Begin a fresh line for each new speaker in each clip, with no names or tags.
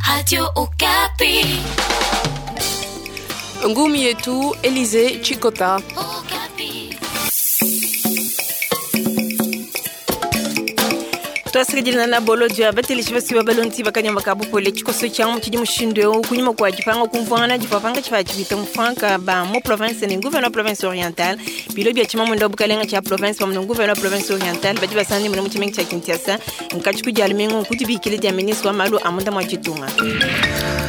Radio Okapi.
Ngumi yetu Elise Chikota.
Okapi.
Twasiridilana na bolo dia bateleji basiwa balonzi bakanyama ka bupole tshikoso tshia tshidi mushindu eu kunyima kua dipanga kumvuangana divua panga tshivua tshipita mufanka ba mu province ne gouverneur wa province orientale bilo bia tshimamunda wa bukalenga tshia province pamue ne gouverneur wa province orientale badi basangane muna mu tshimenga tshia Kinshasa nkatshi ku dia lumingu nkudibikile dia ministre wa malu a munda mua ditunga.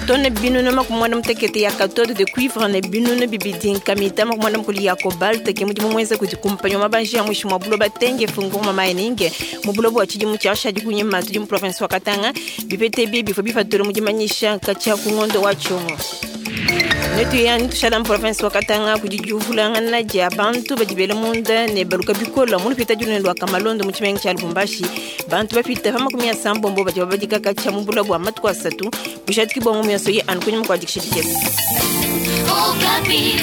Tone binunu makumi muanda mutekete ya cathode de cuivre ne binunu bibidi nkamita makumi muanda mukulu ya cobalt ke mudimu muenza kudi kumpanyi wa mabanji ya muinshi mua buloba tenge funguruma mining mu buloba bua tshidimu tshiashadi kunyima tudi mu province wa Katanga. Bipete ebi bivua bipatula mu dimanyisha katshia ku ngondo wa tshiongo. Netuya netushala mu province wa Katanga kudi diuvulangana dia bantu badi bela munda ne baluka bikola mu lupita dinene lua Kamalondo mu tshimenga tshia Lubumbashi. Bantu bapita pa makumi asambombo badi babadika katshia mu buloba bua matuku asatu bujadiki bua ngumu yonso ye anu kunyima kua dikisha dikese.
Okapi.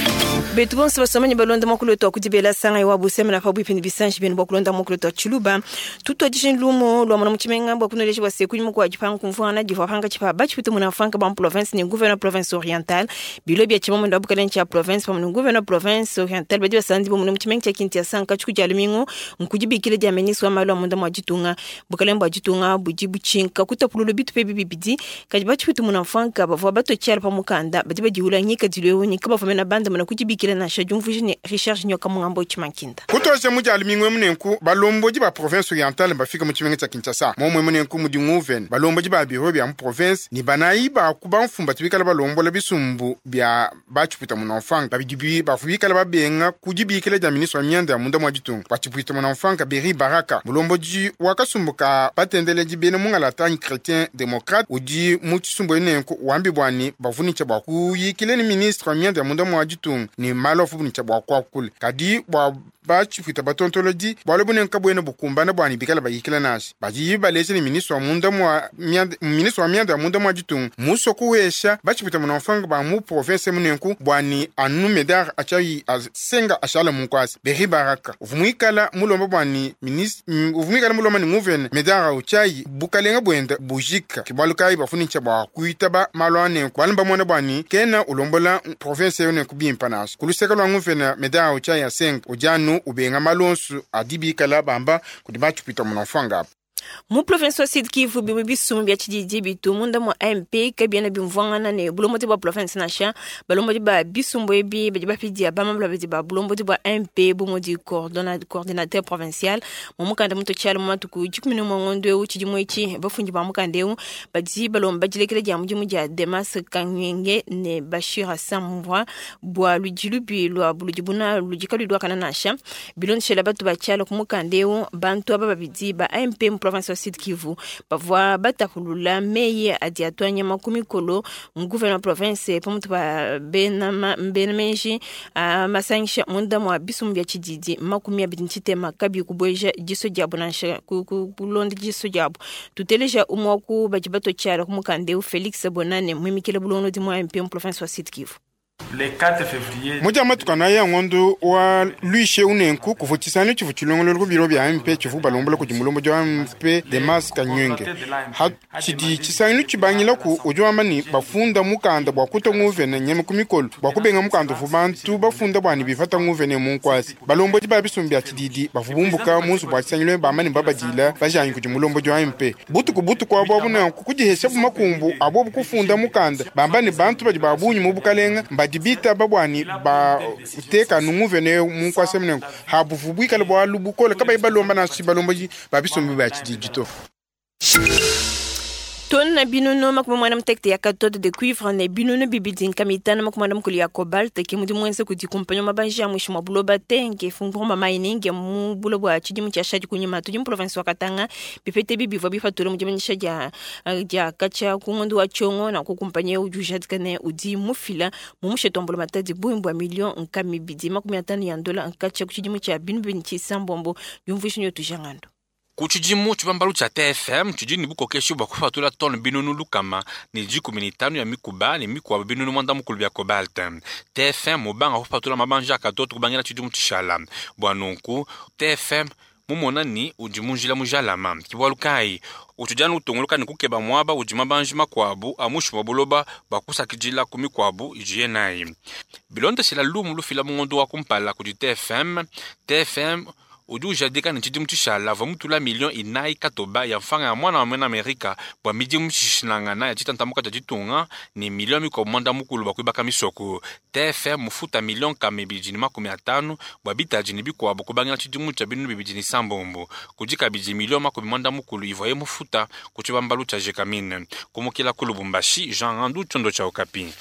Betu bonso basomani balonda muakulu wetu wa kudibela sanga wa busemena pa bwipi ne bisanji byenu bua kulonda muakulu wetu wa tshiluba. Tutuadije lumo lua muna mu tshimenga bua kunoleja bua se kunyima kua dipanga kumvuangana divua pankatshi pa batshipite muna mfanka ba mu province ne gouverneur province orientale. Bilo bia tshimamunda wa bukalenge tshia province pamue ne gouverneur province orientale badi basandi bo muna mu tshimenga tshia Kinshasa nkatshi ku dia lumingu nkudibikile dia ministre wa malu a munda mua ditunga. Bukalenge bua ditunga budi butshinka kutapulula bitupa ebi bibidi kadi batshipite muna mfanka bavua batue tshiala pa mukanda badi badiwula ngikadilu eu ne kabavua mena banda muna kudibikila nansha diumvuija ne Richard Nyoka Mungambo Tshimankinda.
Kutosha mu dia lumingu emu nenku balombodi ba province orientale bafika mu tshimenga tshia Kinshasa. Momue munenku mudi nguvene balombodi ba biro bia mu province ne banayi ba ku bamfumu batu bikala balombola bisumbu bia batshipwita muna mfanka babidi bi bavua bikala babenga ku dibikila dia ministre wa mianda ya munda mua ditunga. Batshipwita muna mfanka Beri Baraka mulombodi wa kasumbu ka batendeledi bena mungalata anyi chrétien démocrate udi mu tshisumbu nenku wambi bua ne bavua bua kuyikila ne ministre wa mianda ya munda mua ditunga ne malu avua bua kuakula. Kadi bua batshipwita batontolodi bualu bunene kabuena bukumbana bua ne bikala bayikila nansha. Badi baleja ne ministre wa munda mua mianda, ministre wa mianda ya munda mua ditunga musue kuwesha batshipwita muna mfanka ba mu province munenku bua ne anu Medard atshiayi asenga ashala mu nkuasa. Beri Baraka uvua muikala mulomba bua ne ministre, uvua muikala mulomba ne nguvene Medard utshiayi bukalenga buenda bujika. Ke bualu kayi bafunitsha bua kuitaba malu anenku bualu mbamona bua ne kena ulombola province eyo nenku bimpa nansha. Ku luseke lua nguvene Medard utshiayi asenga udi anu ubenga malu onso adi bikala bamba kudi batshipwita muna mfanka apa.
Mu province wa Sud Kivu bimue bisumbu bia tshididi bitu munda mua AMP kabiena bimvuangana ne bulombodi bua province nansha. Balombodi ba bisumbu ebi badi bapidia bamambula badi ba bulombodi bua AMP bu mudi coordinateur provincial mu mukanda muto tshiala mu matuku dikumi ne umue ngondo eu tshidimu etshi. Bafundi ba mukanda eu badi balomba dilekela dia mudimu dia Demas Kanyenge ne Bashir Hassan Mvwa bua ludi lubi lua buludi buna ludi kaluyi luakana nansha. Bilondeshela batu ba tshiala ku mukanda eu bantu aba babidi ba AMP mu province wa Sud Kivu bavua batapulula meyi adi atua nyama ku mikolo mu gouverneur province pamutu pa bena bena menji a masangisha munda mua bisumbu bia tshididi makumi abidi ne tshitema kabiyi kubueja diso diabu nansha kulonda diso diabu. Tuteleja umue wa ku badi batua tshiala ku mukanda eu Felix Bonane muimikile bulongolodi mua AMP mu province wa Sud Kivu.
Le 4 février.
Mu dia matuku anayi a ngondo wa luishe unenku kuvua tshisangilu tshivua tshilongololo ku biro bia AMP tshivua balombola kudi mulombodi wa AMP Demas Kanyenge. Ha tshidi tshisangilu tshibangilaku udi wamba ne bafunda mukanda bua kutua nguvene nyama ku mikolo bua kubenga mukanda uvua bantu bafunda bua ne bipata nguvene mu nkuasa. Balombodi ba bisumbu bia tshididi bavua bumbuka mu nzubu wa tshisangilu bamba ne babadila bajanyi kudi mulombodi wa AMP. Butuku butuku abu abu nanku kudihesha bu makumbu abo kufunda mukanda bamba ne bantu badi ba bungi mu bukalenga mbadi bitaba bua ne bateka nguvene mu nkuasa munenku. Habuvu buikale bualu bukole kabayi balomba nansha balombodi ba bisumbu bia tshididi to.
Tone binunu makumi muanda mutekete ya cathode de cuivre ne binunu bibidi nkama itanu makumi muanda mukulu ya cobalt ke mudimu muenza kudi kumpanyi wa mabanji ya muinshi mua buloba tenge funguruma mining mu buloba bua tshidimu tshiashadi kunyima tudi mu province wa Katanga. Bipete ebi bivua bipatula mu dimanyisha dia, dia katshia ku ngondo wa tshiongo na ku kumpanyi eu udi ujadika ne udi mufila mu musheto wa mbulamatadi bungi bua million nkama ibidi makumi atanu ya ndola nkatshia ku tshidimu tshia binu bibidi tshisambombo. Diumvuija nyo tujangando.
Ku tshidimu tshibambalu tshia TFM tshidi ne bukokeshi bua kupatula tone binunu lukama ne dikumi ne itanu ya mikuba ne mikuabo binunu muanda mukulu bia cobalt. TFM mubanga kupatula mabanja a katoto kubangila tshidimu tshishala. Bua nunku TFM mumona ni udi mu njila mujalama. Ke bualu kayi Utshidi anu utunguluka ne kukeba muaba udi mabanji makuabu a muinshi mua buloba bua kusakidila ku mikuabu idiye nayi. Bilondeshila lumu lufila mu ngondo wa kumpala kudi TFM, TFM udi ujadika ne tshidimu tshishala avua mutula miliyo inayi katoba ya mfranga ya mwana wa muena Amerika bua midimu mishilashilangana ya ditantamuka dia ditunga ne miliyo mikuabu muanda mukulu bua kuibaka misoko. TFM mufuta miliyo nkama ibidi ne makumi atanu bua bitadi ne bikuabu kubangila tshidimu tshia 2026. Kudi kabidi miliyo makumi muanda mukulu ivuaye mufuta ku tshibambalu tshia Gécamines. Kumukila ku Lubumbashi, Jean Ngandu, tshiondo tshia Okapi.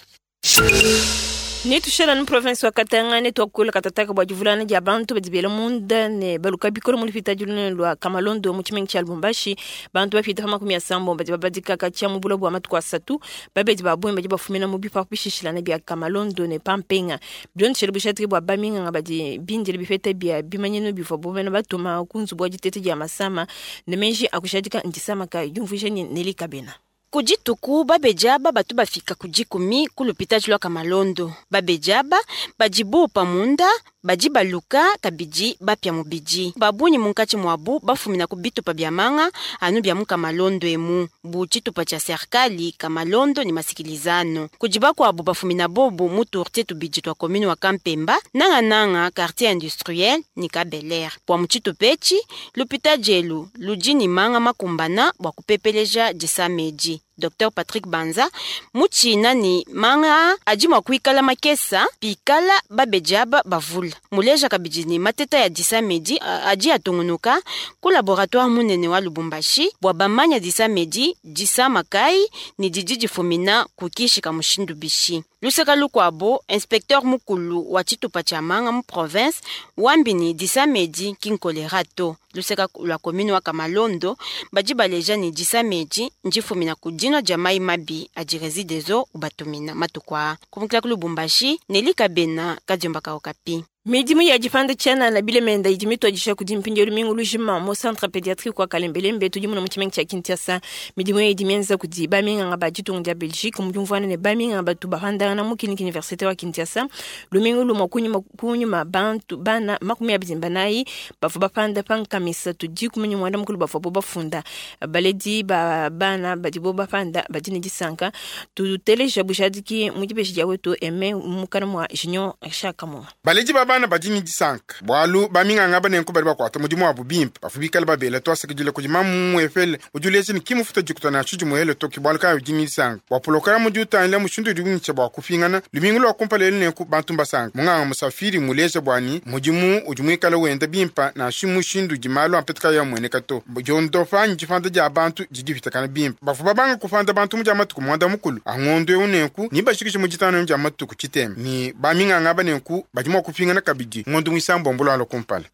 Netushala mu province wa Katanga ne tuakula katataka bua divulana dia bantu badi bela munda ne baluka bikole mu lupitadi lunene lua Kamalondo mu tshimenga tshia Lubumbashi. Bantu bapita pa makumi asambo badi babadika katshia mu buloba bua matuku asatu. Babedi ba bungi badi bafumina mu bipapu bishishilane bia Kamalondo ne Pampenga. Bilondeshele bushadiki bua baminganga badi bindile bipeta bia bimanyinu bivuabu bena batuma ku nzubu wa diteta dia masama ne meji a kushadika ndisama kayi diumvuija ne Nelly Kabena.
Ku dituku babedi aba batu bafika ku dikumi ku lupitadi lua Kamalondo. Babedi aba badi bupa munda, badi baluka kabidi bapia mubidi. Ba bungi munkatshi muabu bafumina ku bitupa bia manga anu bia mu Kamalondo emu, bu tshitupa tshia serikali Kamalondo ne masikilizano. Kudi bakuabu bafumina bobu mu turtie tubidi tua commune wa Kampemba, nangananga quartier industriel ne Kabeler. Bua mu tshitupa etshi, lupitadi elu ludi ne manga makumbana bua kupepeleja disama edi. Dr Patrick Banza mutshina ne manga adi mua kuikala makesa pikala babedi aba bavula. Muleja kabidi ne mateta ya disama edi adi atungunuka ku laboratoire munene wa Lubumbashi bua bamanya disama edi disama kayi ne didi difumina ku kishi ka mushindu bishi. Luseka lukuabu, inspecteur mukulu wa tshitupa tshia manga mu province wambi ne disama edi ki nkolera to. Luseka lua commune wa Kamalondo badi baleja ne disama edi ndifumina ku dinua dia mai mabi adi Regideso ubatumina matuku aa. Kumukila ku Lubumbashi, Nelly Kabena, Kadiomba ka Okapi.
Midimu ya dipanda tshianana bilemenda idi mituadija kudi mpindieu lumingu lujima mu centre pédiatrique wa Kalembelembe tudi muna mu tshimenga tshia Kinshasa. Midimu eyi idi mienza kudi baminganga ba ditunga dia Belgique mu diumvuana ne baminganga batu bapandangana mu clinique universitaire wa Kinshasa. Lumingu lumue kunyima kunyima bantu bana makumi abidi ne banayi bavua bapanda pa nkama isatu dikumi ne muanda mukulu bavuabu bafunda. Baledi ba bana badibo bapanda badi ne disanka. Tuteleja bujadiki mu dibeji dia wetu Aime mukana mua Junior Shakamonga.
Baledi ba bana badi ne disanka bualu baminganga banenku badi bakuata mudimu wabu bimpe. Bavua bikale babela tuasakidila kudi mamu muepele udi uleja ne kimufuta dikuta nansha dimuele to, ke bualu kayi udi ne disanka bua pulokaramu udi utangila mushindu udi wintsha bua kupingana lumingu lua kumpala elu. Nenku bantu mbasanka. Munganga Musafiri muleja bua ni mudimu udi muikale wenda bimpe nansha mushindu udi malu ampeta kayi amueneka to. Diondopa anyi dipanda dia bantu didi dipitakana bimpe. Bavua babanga kupanda bantu mu dia matuku muanda mukulu a ngondo eu, nenku nibashikishe mu ditanu dia matuku tshitema ne baminganga aba nenku badi mua kupingana kabidi ngondo muisambombo lualua kumpala.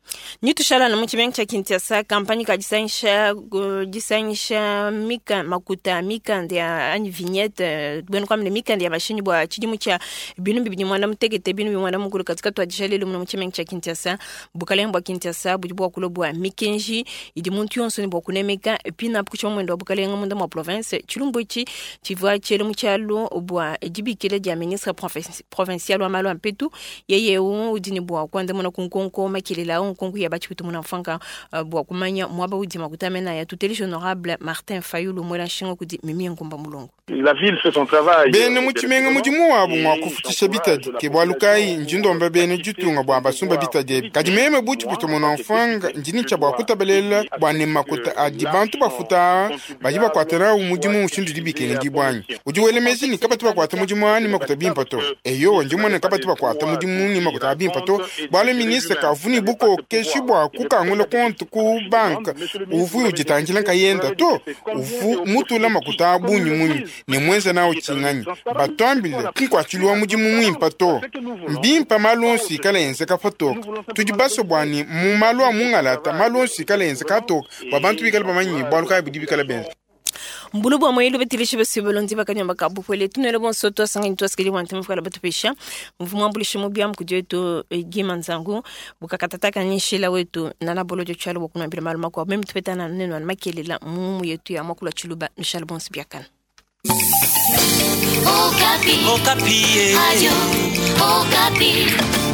Nitushala mu tshimenga tshia Kinshasa, kampanye ka disangisha disangisha mika makuta mikanda ya anyi vignette buena kuamba ne mikanda ya mashinyi bua tshidimu tshia binu bibidi muanda mutekete binu bibidi muanda mukulu katika tuadija lelu muno mu tshimenga tshia Kinshasa. Bukalenge bua Kinshasa budi buakula bua mikenji idi muntu yonso ne bua kunemeka pinapu ku tshia wa bukalenge munda mua province. Tshilumbu etshi tshivua tshiele mu tshialu bua dibikila dia ministre provincial wa malu a mpetu. Yeye eu udi ne bua kuandamuna ku nkonko makelela au nkonko ya batshiputu muna mfanka bua kumanya muaba udi makuta mena ya tuteleje honorable Martin Fayulu mwela nshinga kudi Mimi Ngumba Mulongo.
La ville fait son travail.
Bene mu tshimenga mudimu wabu ngua kufutshisha bitadi ke bualu kayi ndi ndomba bene ditunga bua basumba bitadi ebi. Kadi meme bu tshiputu muna mfanga ndi nitsha bua kutabalela bua ne makuta adi bantu bafuta badi bakuata nawu mudimu mushindu dibikenge dibwanyi. Udi wela meji ni kabatu bakuata mudimu ani makuta bimpa to. Eyo ndi mone kabatu bakuata mudimu ni makuta bimpa to. Bualu ministre kavuni bukokeshi bua kukangula konti ku banka uvu uditangila nkayenda to. Uvu mutula makuta abunyi munyi ne mwenza nawo tshinganyi. Batwambile kinkuatshilwa mudimu mwimpa to. Mbimpa malu onso ikala enzeka patoka. Tudi baso bua ni mu malu a mungalata malu onso ikala enzeka atoka bua bantu bikale bamanyi bualu kayi budi bikale benza.
Mbulu bua moyelu betilishe basibe bakanyamba ka bupwele tunele bonso twasangani twasikeli bwa ntema fukala batupesha mvumu ambulishe mu byamu kudi wetu Gima Nzangu bukakatataka ni nshila wetu nana bolo jo tshalo bokunambila malu makuabu meme tupetana neno na makelela mumu yetu ya mwakula tshiluba nshalo bonso biakana.
Okapi. Okapi. Radio Okapi.